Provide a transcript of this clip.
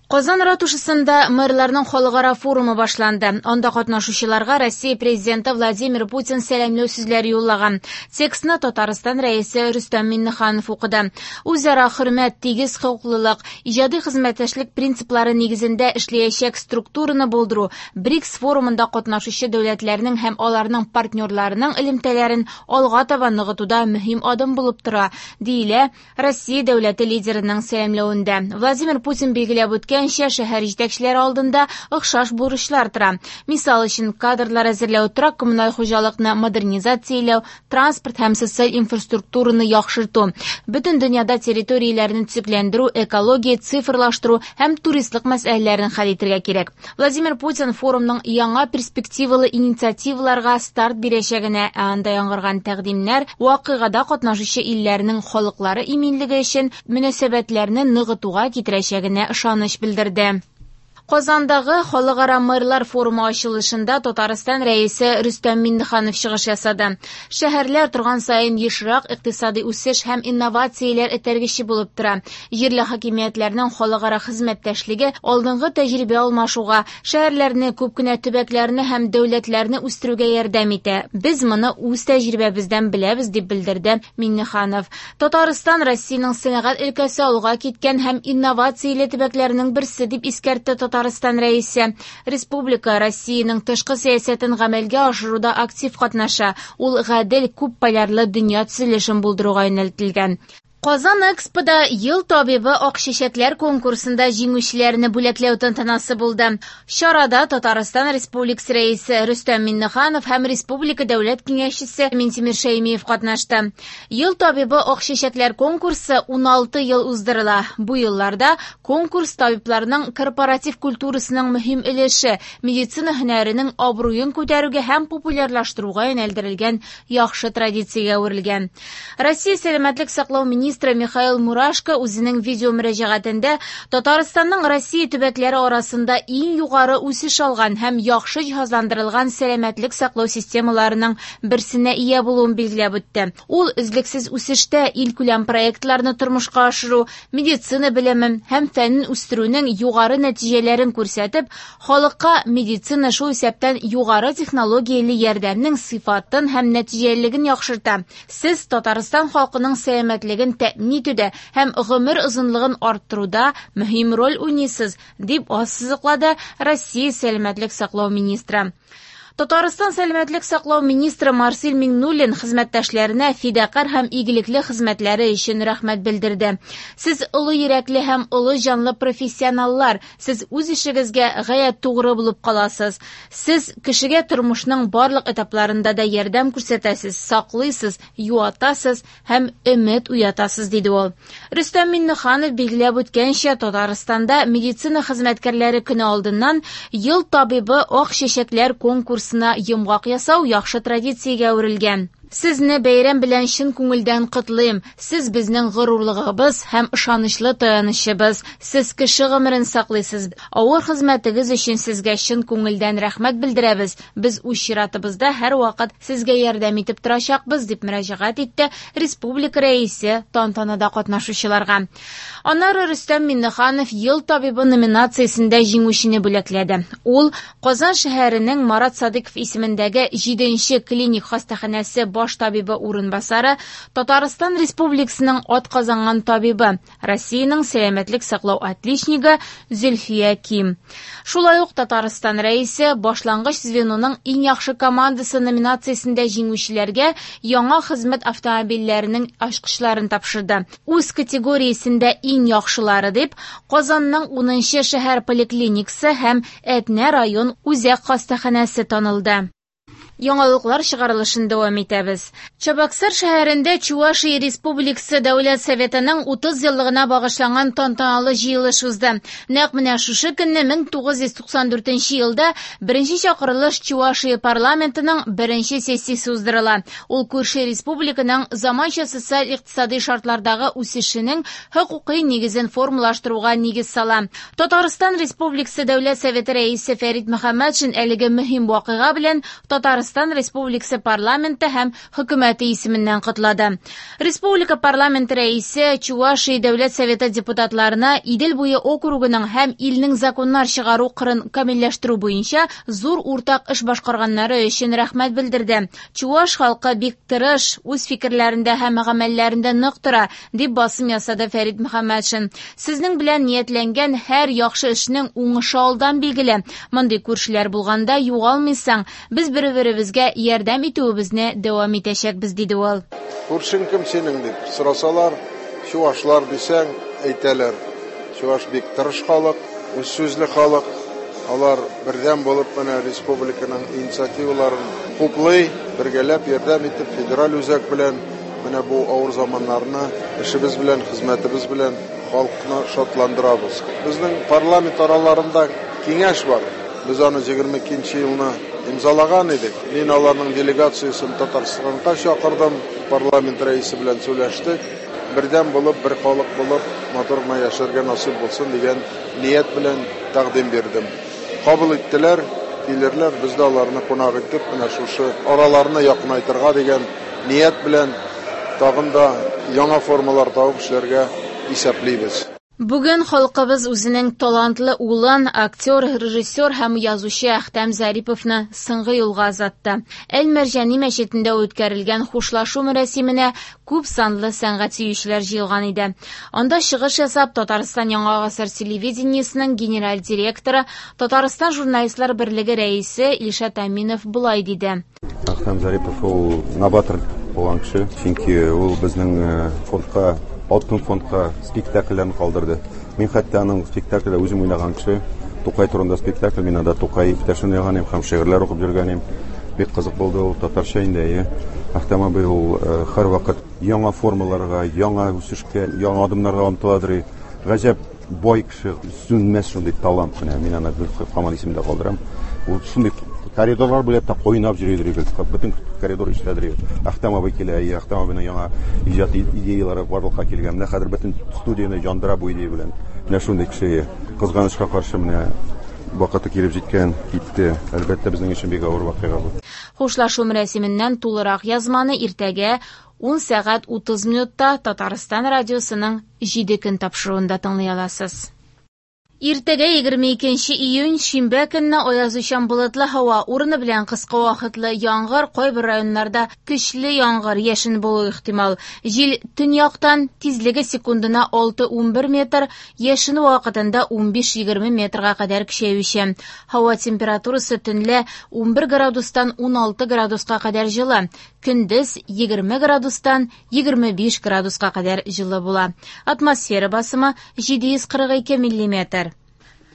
Казан ратушасында мэрларның халыкара форумы башланды. Анда катнашучыларга Россия Президенты Владимир Путин сәламләү сүзләре юллаган. Текстны Татарстан Рәисе Рөстәм Миңнеханов укыды. Үзара хөрмәт, тигез хокуклылык, иҗади хезмәттәшлек принциплары нигезендә эшләячәк структураны булдыру БРИКС форумында катнашучы дәүләтләрнең һәм аларның партнерларының элемтәләрен алга таба ныгытуда мөһим адым булып тора, диелә Россия дәүләте лидерының сәламләвендә. Владимир Путин билгеләп үткәнчә, шәһәр җитәкчеләре алдында охшаш бурычлар тора. Мисал өчен, кадрлар әзерләү, торак-коммуналь хуҗалыкны модернизацияләү, транспорт һәм социаль инфраструктураны яхшырту. Бөтен дөньяда территорияләрне төзекләндерү, экология, цифрлаштыру һәм туристлык мәсьәләләрен хәл итәргә кирәк. Владимир Путин форумның яңа перспективалы инициативаларга старт бирәчәгенә, ә анда яңгыраган тәкъдимнәр вакыйгада катнашучы илләрнең халыклары иминлеге өчен мөнәсәбәтләрне ныгытуга китерәчәгенә ышаныч белдерде. Казандагы Халыкара мэрлар форумы ачылышында Татарстан Рәисе Рөстәм Миңнеханов чыгыш ясады. Шәһәрләр торган саен ешрак икътисади үсеш һәм инновацияләр этәргече булып тора. Җирле хакимиятләрнең халыкара хезмәттәшлеге алдынгы тәҗрибә алмашуга, шәһәрләрне, күп кенә төбәкләрне һәм дәүләтләрне үстерүгә ярдәм итә. Без моны үз тәҗрибәбездән беләбез, дип белдерде Миңнеханов. Татарстан Россиянең сәнәгать өлкәсе алга киткән һәм инновацияле төбәкләренең берсе, дип искәртте Татарстан Рәисе. Республика Россиянең тышкы сәясәтен гамәлгә ашыруда актив катнаша. Ул гадел, күп полярлы дөнья төзелешен булдыруга юнәлтелгән. Казан Экспода Ел табибы ак чәчәкләр конкурсында җиңүчеләрне бүләкләү тантанасы булды. Чарада Татарстан Республикасы Рәисе Рөстәм Миңнеханов һәм Республика Дәүләт Киңәшчесе Минтимер Шәймиев катнашты. Ел табибы ак чәчәкләр конкурсы 16 ел уздырыла. Бу елларда конкурс табибларның корпоратив культурасының мөһим өлеше, медицина һөнәренең абруен күтәрүгә һәм популярлаштыруга юнәлдерелгән яхшы традициягә әверелгән. Россия сәламәтлек саклау министры Михаил Мурашко үзенең видео мөрәҗәгатендә Татарстанның Россия төбәкләре арасында иң югары үсеш алган һәм яхшы җиһазландырылган сәламәтлек саклау системаларының берсенә ия булуын билгеләп үтте. Ул өзлексез үсештә илкүләм проектларны тормышка ашыру, медицина белемен һәм фәнен үстерүнең югары нәтиҗәләрен күрсәтеп, халыкка медицина, шул исәптән югары технологияле ярдәмнең сыйфатын һәм нәтиҗәлелеген яхшырта. Сез Татарстан халкының сәламәтлеген тәэмин итүдә һәм гомер озынлыгын арттыруда мөһим роль уйныйсыз, дип ассызыклады Россия сәламәтлек саклау министры. Татарстан сәламәтлек саклау министры Марсель Миңнуллин хезмәттәшләренә фидакарь һәм игелекле хезмәтләре өчен рәхмәт белдерде. Сез олы йөрәкле һәм олы җанлы профессионаллар, сез үз эшегезгә гаять тугры булып каласыз. Сез кешегә тормышның барлык этапларында да ярдәм күрсәтәсез, саклыйсыз, юатасыз һәм өмет уятасыз, диде ул. Рөстәм Миңнеханов билгеләп үткәнчә, Татарстанда медицина хезмәткәрләре көне алдыннан Ел табибы ак чәчәкләр конкурсына йомгак ясау яхшы традициягә әверелгән. Сезне бәйрәм белән чын күңелдән котлыйм. Сез безнең горурлыгыбыз һәм ышанычлы таянычыбыз. Сез кеше гомерен саклыйсыз. Авыр хезмәтегез өчен сезгә чын күңелдән рәхмәт белдерәбез. Без үз чиратыбызда һәрвакыт сезгә ярдәм итеп торачакбыз, дип мөрәҗәгать итте республика Рәисе тантанада катнашучыларга. Аннары Рөстәм Миңнеханов Ел табибы номинациясендә җиңүчене бүләкләде. Ул Казан шәһәренең Марат Садыйков исемендәге 7нче клиник хастаханәсе баш табибы урынбасары, Татарстан Республикасының атказанган табибы, Россиянең сәламәтлек саклау отличнигы Зөлфия Ким. Шулай ук Татарстан Рәисе башлангыч звеноның иң яхшы командасы номинациясендә җиңүчеләргә яңа хезмәт автомобильләренең ачкычларын тапшырды. Үз категориясендә иң яхшылары дип Казанның 10нчы шәһәр поликлиникасы һәм Әтнә район үзәк хастаханәсе танылды. Яңалыклар чыгарылышын дәвам итәбез. Чабаксар шәһәрендә Чувашия Республикасы Дәүләт Советының 30 еллыгына багышланган тантаналы җыелыш узды. Нәкъ менә шушы көнне 1994 елда беренче чакырылыш Чувашия парламентының беренче сессиясе уздырыла. Ул күрше республиканың заманча социаль-икътисади шартлардагы үсешенең хокукый нигезен формалаштыруга нигез сала. Татарстан Республикасы Дәүләт Советы Рәисе Фәрит Мөхәммәтшин әлеге мөһим вакыйга белән Татарстан Татарстан Республикасы парламенты һәм хөкүмәте исеменнән котлады. Республика парламенты рәисе Чувашия Дәүләт Советы депутатларына Идел буе округының һәм илнең законнар чыгару кырын камилләштерү буенча зур уртак эш башкарганнары өчен рәхмәт белдерде. Чуваш халкы бик тырыш, үз фикерләрендә һәм гамәлләрендә нык тора, дип басым ясады Фәрит Мөхәммәтшин. Сезнең белән ниятләнгән һәр яхшы эшнең уңышы алдан билгеле. Мондый күршеләр булганда югалмыйсың. Без бер-беребезгә ярдәм итүебезне дәвам итәчәкбез, диде ул. Күршең кем синең дип сорасалар, чувашлар дисәң, әйтәләр. Чуваш бик тырыш халык, үз сүзле халык. Алар бердәм булып менә республиканың инициативаларын хуплый, бергәләп ярдәм итеп федераль үзәк белән менә бу авыр заманнарны эшебез белән, хезмәтебез белән халыкны шатландырабыз. Безнең парламент араларында киңәш бар. Без аны 22 елны имзалаган идек. Мин аларның делегациясен Татарстанга чакырдым, парламент рәисе белән сөйләштек. Бердәм булып, бер халык булып, матур гына яшәргә насыйп булсын дигән ният белән тәкъдим бирдем. Кабул иттеләр, килерләр, без дә аларны кунак итеп, менә шушы араларны якынайтырга дигән ният белән тагын да яңа формалар табып эшләргә исәплибез. Бүген халкыбыз үзенең талантлы улын, актер, режиссер һәм язучы Әхтәм Зариповны соңгы юлга озатты. Әл-Мәрҗани мәчетендә үткәрелгән хушлашу мәрасименә күп санлы сәнгать сөючеләр җыелган иде. Анда чыгыш ясап, Татарстан Яңа гасыр телевидениесының генераль директоры, Татарстан журналистлар берлеге рәисе Илшат Әминов болай диде. Әхтәм Зарипов ул новатор булган кеше, чөнки ул безнең фондка, алтын фондка спектакльләрен калдырды. Мин хәтта аның спектакльдә үзем уйнаган кеше, Тукай турында спектакль, мин анда Тукай иптәшен уйнаган идем һәм шигырьләр укып йөргән идем. Бик кызык булды ул, татарча инде, әйе. Әхтәм абый ул һәрвакыт яңа формаларга, яңа үсешкә, яңа адымнарга омтыладыр. Гаҗәп бай кеше, сүнмәс шундый талант менә. Мин аны һаман исемдә калдырам. Ул шундый коридорлар буйлап та кайнап йөридер, бөтен коридор эшләдер. Әхтәм абый килә, Әхтәм абыйның яңа иҗат идеялары барлыкка килгән. Менә хәзер бөтен студияне яндыра бу идея белән. Менә шундый кеше. Кызганычка каршы менә вакыты килеп җиткән, китте. Әлбәттә, безнең өчен бик авыр вакыйга бу. Хушлашу мәрасименнән тулырак язманы иртәгә 10 сәгать 30 минутта Татарстан радиосының 7 көн тапшыруында тыңлый аласыз. Иртәгә 22 июнь шимбә көнне аязучан болытлы һава, урыны белән кыска вакытлы яңгыр, кайбер районнарда көчле яңгыр, яшен булу ихтимал. Җил төньяктан, тизлеге секундына 6-11 метр, яшен вакытында 15-20 метрга кадәр көчәюче. Һава температурасы төнлә 11 градустан 16 градуска кадәр җылы, көндез 20 градустан 25 градуска кадәр җылы була. Атмосфера басымы 742 миллиметр.